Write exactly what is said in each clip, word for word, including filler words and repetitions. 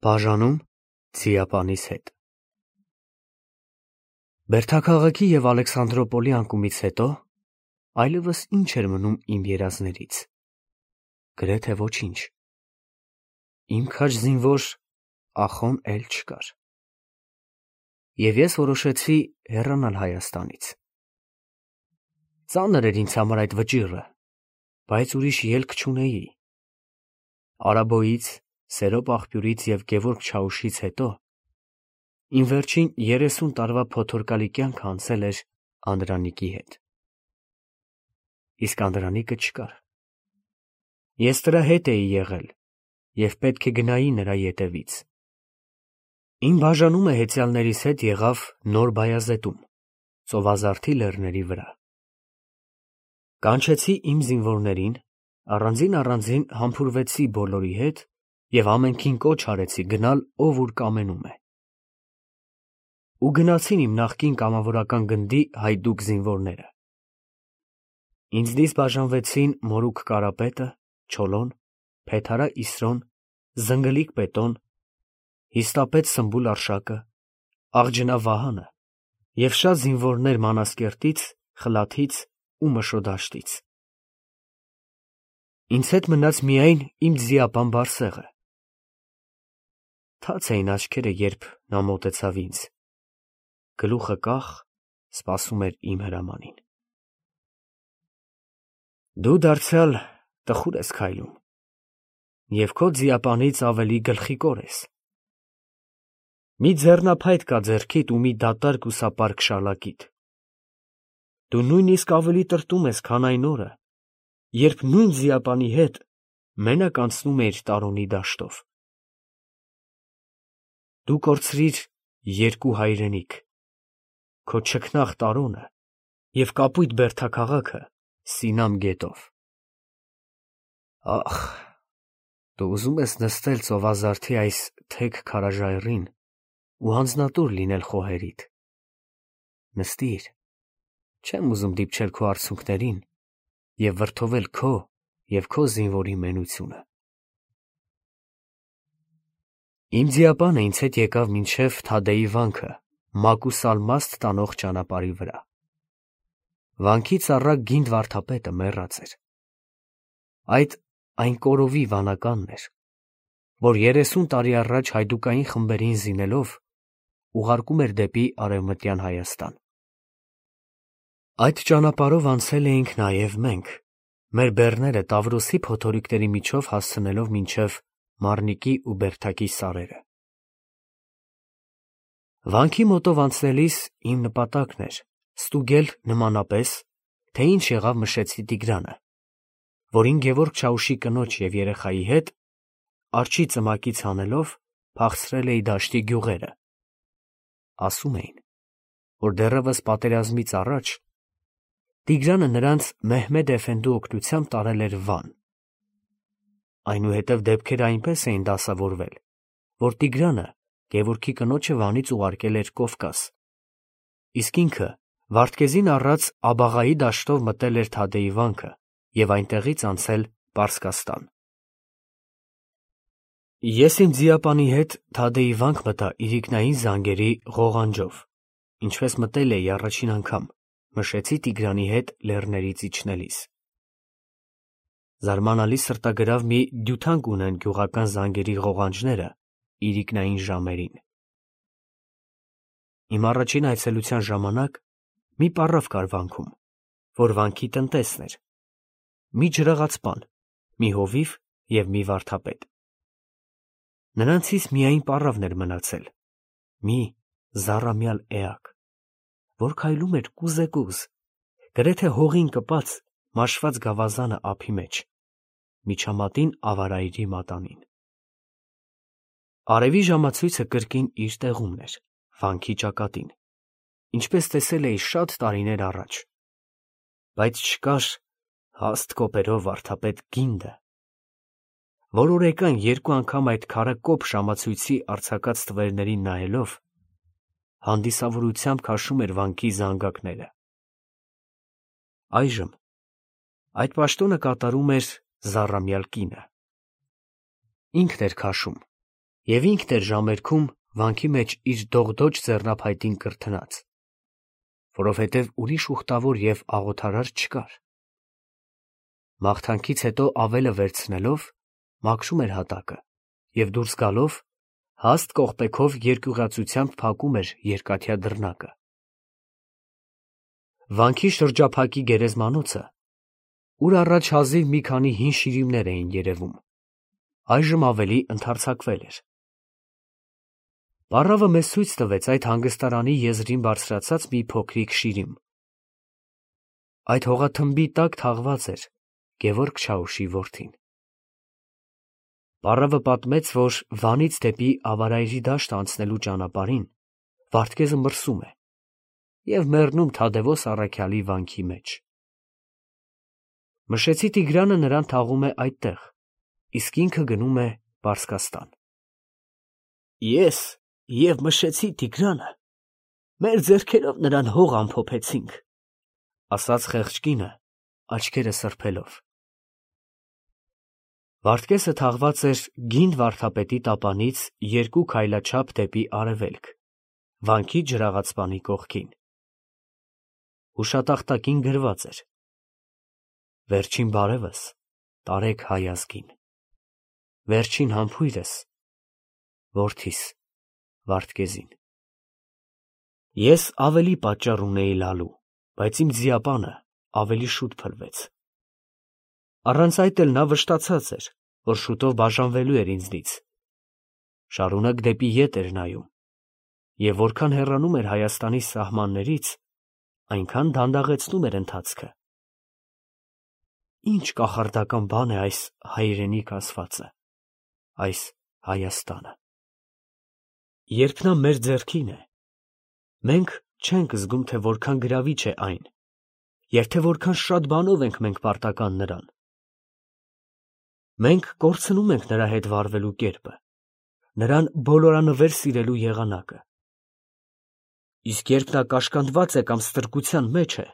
Բաժանում Ձիապանիս հետ Բերդաքաղաքի և Ալեքսանդրոպոլի անկումից հետո այլևս ինչ էր մնում իմ երազներից, գրեթե ոչինչ, իմ քաջ զինվոր Ախոն էլ չկար, և ես որոշեցի հեռանալ Հայաստանից. ծանր էր ինձ համար այդ վճիռը, բայց ուրիշ ելք չունեի, Արաբոյից, Սերոպ աղբյուրից և Գևորգ Չաուշից հետո իմ վերջին երեսուն տարվա փոթորկալի կյանքը անցել էր Անդրանիկի հետ, իսկ Անդրանիկը չկար, ես դրա հետ էի եղել և պետք է գնայի նրա ետևից, իմ բաժանումը հեծյալներիս հետ եղավ Նոր Բայազետում, Ծովազարդի լեռների վրա, կանչեցի իմ զինվորներին, առանձին֊առանձին համբուրվեցի բոլորի հետ և ամենքին կոչ արեցի գնալ ով ուր կամենում է, ու գնացին իմ նախկին կամավորական գնդի հայդուկ զինվորները, ինձնից բաժանվեցին Մորուք Կարապետը, Չոլոն, Փեթարա Իսրոն, Զնգլիկ Պետոն, Հիստապետ Սմբուլ Արշակը, Աղջնա Վահանը և շատ զինվորներ Մանասկերտից, Խլաթից ու Մշոդաշտից, ինձ հետ մնաց միայն իմ ձիապան Բարսեղը, թաց էին աչքերը, երբ նա մոտեցավ ինձ, գլուխը կախ, սպասում էր իմ հրամանին. դու դարձյալ տխուր ես քայլում և քո ձիապանից ավելի գլխիկոր ես, մի ձեռնափայտ կա ձեռքիդ ու մի դատարկ ու սապարկ շալակիդ, դու նույնիսկ ավելի տրտում ես, քան այն օրը, երբ նույն ձիապանի հետ մենակ անցնում էիր Տարոնի դաշտով, դու կորցրիր երկու հայրենիք, քո չքնաղ Տարոնը և կապույտ Բերդաքաղաքը Սինամ գետով, ախ, դու ուզում ես նստել ծովազարդի այս թեք քարաժայռին ու անձնատուր լինել խոհերիդ, նստիր, չեմ ուզում դիպչել քո արցունքներին և վրդովել քո և քո զինվորի մենությունը, իմ ձիապանը ինձ հետ եկավ մինչև Թադեի վանքը Մակուսալմաստ տանող ճանապարհի վրա, վանքից առակ գինդ վարդապետը մեռած էր, այդ այն կորովի վանականն էր, որ երեսուն տարի առաջ հայդուկային խմբերին զինելով ուղարկում էր դեպի Արևմտյան Հայաստան, այդ ճանապարհով անցել էինք նաև մենք, մեր բեռները Տավրոսի փոթորիկների միջով հասցնելով մինչև Մարնիկի ու Բերդակի սարերը, վանքի մոտով անցնելիս իմ նպատակն էր ստուգել նմանապես, թե ինչ եղավ Մշեցի Տիգրանը, որին Գևորգ Չաուշի կնոջ և երեխայի հետ, արջի ծմակից հանելով, փախցրել էի դաշտի գյուղերը, ասում էին, որ դեռևս պատերազմից առաջ Տիգրանը նրանց Մեհմեդ Էֆենդու օգնությամբ տարել էր Վան, այնուհետև դեպքերը այնպես էին դասավորվել, որ Տիգրանը Գևորգի կնոջը Վանից ուղարկել էր Կովկաս, իսկ ինքը Վարդգեզին առած Աբաղայի դաշտով մտել էր Թադեի վանքը և այնտեղից անցել Պարսկաստան, ես իմ ձիապանի հետ Թադեի վանք մտա իրիկնային զանգերի ղողանջով, ինչպես մտել էի առաջին անգամ Մշեցի Տիգրանի հետ լեռներից իջնելիս, զարմանալի սրտագրավ մի դյութանք ունեն գյուղական զանգերի ղողանջները իրիկնային ժամերին, իմ առաջին այցելության ժամանակ մի պառավ կար վանքում, որ վանքի տնտեսն էր, մի ջրաղացպան, մի հովիվ և մի վարդապետ, նրանցից միայն պառավն էր մնացել, մի զառամյալ էակ, որ քայլում էր կուզեկուզ, գրեթե հողին կպած մաշված գավազանը ափի մեջ, միջամատին ավարայրի մատանին, արևի ժամացույցը կրկին իր տեղումն էր, վանքի ճակատին, ինչպես տեսել էի շատ տարիներ առաջ, բայց չկար հաստ կոպերով վարդապետ Գինդը, որ օրեկան երկու անգամ այդ քարակոպ ժամացույցի արձակած թվերներին նայելով, հանդիսավորությամբ քաշում էր վանքի զանգակները, այժմ այդ պաշտոնը կատարում էր զառամյալ կինը, ինքն էր քաշում, Եվ ինքն էր ժամերքում վանքի մեջ իր դողդոջ ձեռնափայտին կրթնած, որովհետև ուրիշ ուխտավոր և աղոթարար չկար։ Մաղթանքից հետո ավելը վերցնելով, մաքրում էր հատակը և դուրս գալով, հաստ կողպեքով երկյուղացությամբ փակում էր երկաթյա դռնակը։ Վանքի շրջափակի գերեզմանոցը, ուր առաջ հազիվ մի քանի հին շիրիմներ էին երևում, այժմ ավելի ընդարձակվել էր։ Պառավը մեզ ցույց տվեց այդ հանգստարանի եզրին բարձրացած մի փոքրիկ շիրիմ։ Այդ հողաթմբի տակ թաղված էր Գևորգ Չաուշի որդին։ Պառավը պատմեց, որ Վանից դեպի Ավարայրի դաշտ անցնելու ճանապարհին Վարդգեզը մրսում է և մեռնում Թադևոս առաքյալի վանքի մեջ։ Մշեցի Տիգրանը նրան թաղում է այդտեղ, իսկ ինքը գնում է Պարսկաստան։ Ես և Մշեցի Տիգրանը մեր ձեռքերով նրան հող ամփոփեցինք, ասաց խեղճ կինը, աչքերը սրբելով։ Վարդգեսը թաղված էր գինդ վարդապետի տապանից երկու քայլաչափ դեպի արևելք, վանքի ջրաղացպանի կողքին։ Հուշատախտակին գրված էր. «Վերջին բարևս տարեք հայ ազգին, վերջին համբույրս որդիս Վարդգեզին»։ Ես ավելի պատճառ ունեի լալու, բայց իմ ձիապանը ավելի շուտ փլվեց։ Առանց այդ էլ նա վշտացած էր, որ շուտով բաժանվելու էր ինձնից։ Շարունակ դեպի ետ էր նայում, և որքան հեռանում էր Հայաստանի սահմաններից, այնքան դանդաղեցնում էր ընթացքը։ Ինչ կախարդական բան է այս հայրենիք ասվածը, այս Հայաստանը։ Երբ նա մեր ձեռքին է, մենք չենք զգում, թե որքան գրավիչ է այն, և թե որքան շատ բանով ենք մենք պարտական նրան։ Մենք կորցնում ենք նրա հետ վարվելու կերպը, նրան բոլորանվեր սիրելու եղանակը։ Իսկ երբ նա կաշկանդված է կամ ստրկության մեջ է,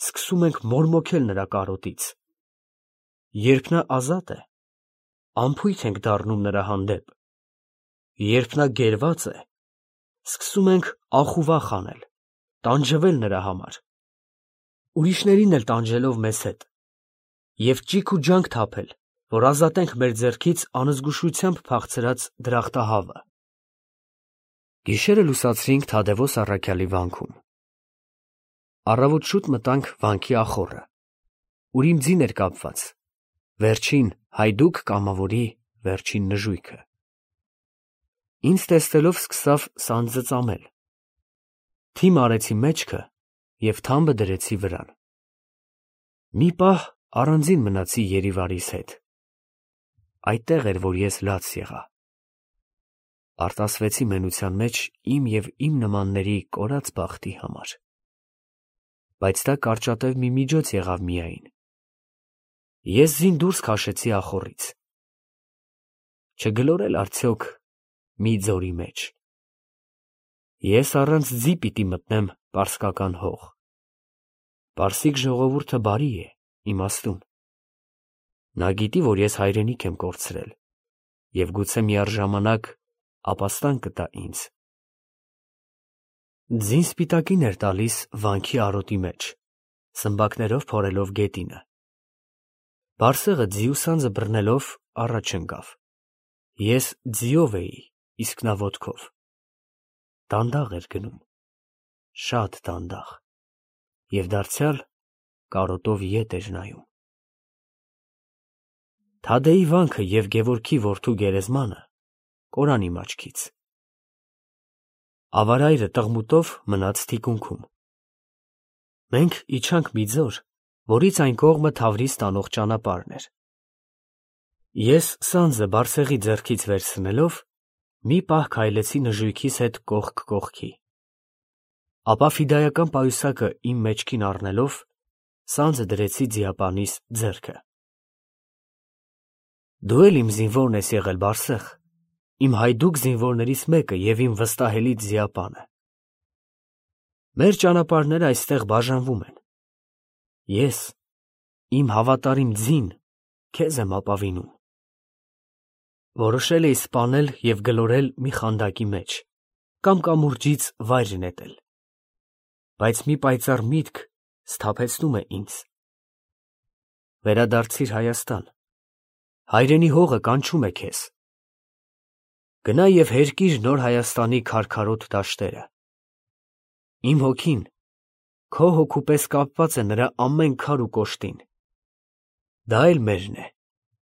սկսում ենք մորմոքել նրա կարոտից։ Երբ նա ազատ է, անփույթ ենք դառնում նրա հանդեպ։ Երբ նա գերված է, սկսում ենք ախուվախ անել, տանջվել նրա համար, ուրիշներին էլ տանջելով մեզ հետ, և ճիգ ու ջանք թափել, որ ազատենք մեր ձեռքից անզգուշությամբ փախցրած դրախտահավը։ Գիշերը լուսացրինք Թադևոս առաքյալի վանքում։ Առավոտ շուտ մտանք վանքի ախոռը, ուր իմ ձին էր կապված, վերջին հայդուկ կամավորի վերջին նժույգը։ Ինձ տեսնելով սկսավ սանձը ծամել։ Թիմ արեցի մեջքը և թամբը դրեցի վրան։ Մի պահ առանձին մնացի Երիվարիս հետ։ Այդտեղ էր, որ ես լաց եղա։ Արտասվեցի մենության մեջ իմ և իմ նմանների կորած բախտի համար։ Բայց դա կարճատև մի միջոց եղավ միայն։ Ես ձին դուրս քաշեցի ախոռից։ Չգլորել արդյոք մի ձորի մեջ։ Ես առանց ձի պիտի մտնեմ պարսկական հող։ Պարսիկ ժողովուրդը բարի է, իմաստուն։ Նա գիտի, որ ես հայրենիք եմ կորցրել, և գուցե միառժամանակ ապաստան կտա ինձ։ Ձին սպիտակին էր տալիս վանքի արոտի մեջ, սմբակներով փորելով գետինը։ Բարսեղը ձիու սանձը բռնելով առաջ ընկավ։ Ես ձիով էի, իսկ նա ոտքով։ Դանդաղ էր գնում, շատ դանդաղ, և դարձյալ կարոտով ետ էր նայում։ Թադեի վանքը և Գևորգի որդու գերեզմանը կորան իմ աչքից։ Ավարայրը տղմուտով մնաց թիկունքում։ Մենք իջանք մի ձոր, որից այն կողմը Թավրիզ տանող ճանապարհն էր։ Ես սանձը Բարսեղի ձեռքից վերցնելով, մի պահ քայլեցի նժույգիս հետ կողք կողքի։ Ապա ֆիդայական պայուսակը իմ մեջքին առնելով, սանձը դրեցի ձիապանիս ձեռքը։ Դու էլ իմ զինվորն ես եղել, Բարսեղ, իմ հայդուկ զինվորներից մեկը և իմ վստահելի ձիապանը։ Մեր ճանապարհները այստեղ բաժանվում են։ Ես, իմ հավատարիմ ձին, քեզ եմ ապավինում։ Որոշել էի սպանել և գլորել մի խանդակի մեջ կամ կամուրջից վայր նետել, բայց մի պայծառ միտք սթափեցնում է ինձ. վերադարձիր Հայաստան, հայրենի հողը կանչում է քեզ, գնա և հերկիր նոր Հայաստանի քարքարոտ դաշտերը, իմ հոգին քո հոգու պես կապված է նրա ամեն քար ու կոշտին, դա էլ մերն է,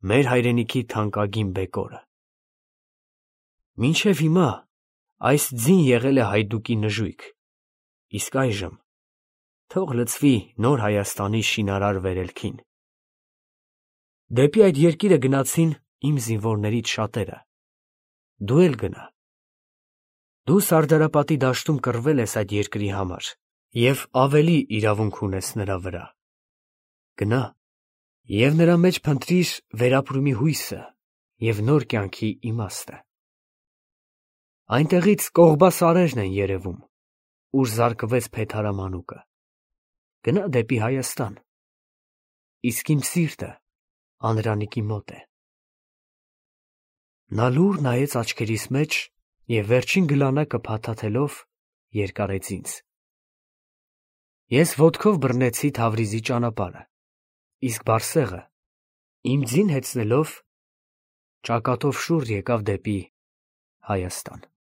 մեր հայրենիքի թանկագին բեկորը, մինչև հիմա այս ձին եղել է հայդուկի նժույգ, իսկ այժմ թող լցվի նոր Հայաստանի շինարար վերելքին, դեպի այդ երկիրը գնացին իմ զինվորներից շատերը, դու էլ գնա, դու Սարդարապատի դաշտում կռվել ես այդ երկրի համար և ավելի իրավունք ունես նրա վրա, գնա և նրա մեջ փնտրիր վերապրումի հույսը և նոր կյանքի իմաստը, այնտեղից կողբա սարերն են երևում, ուր զարկվեց փեթարամանուկը, գնա դեպի Հայաստան, իսկ իմ սիրտը Անդրանիկի մոտ է, նա լուռ նայեց աչքերիս մեջ և վերջին գլանակը փաթաթելով երկարեց ինձ, ես ոտքով բռնեցի Թավրիզի ճանապարհը, իսկ Բարսեղը իմ ձին հեծնելով ճակատով շուռ եկավ դեպի Հայաստան։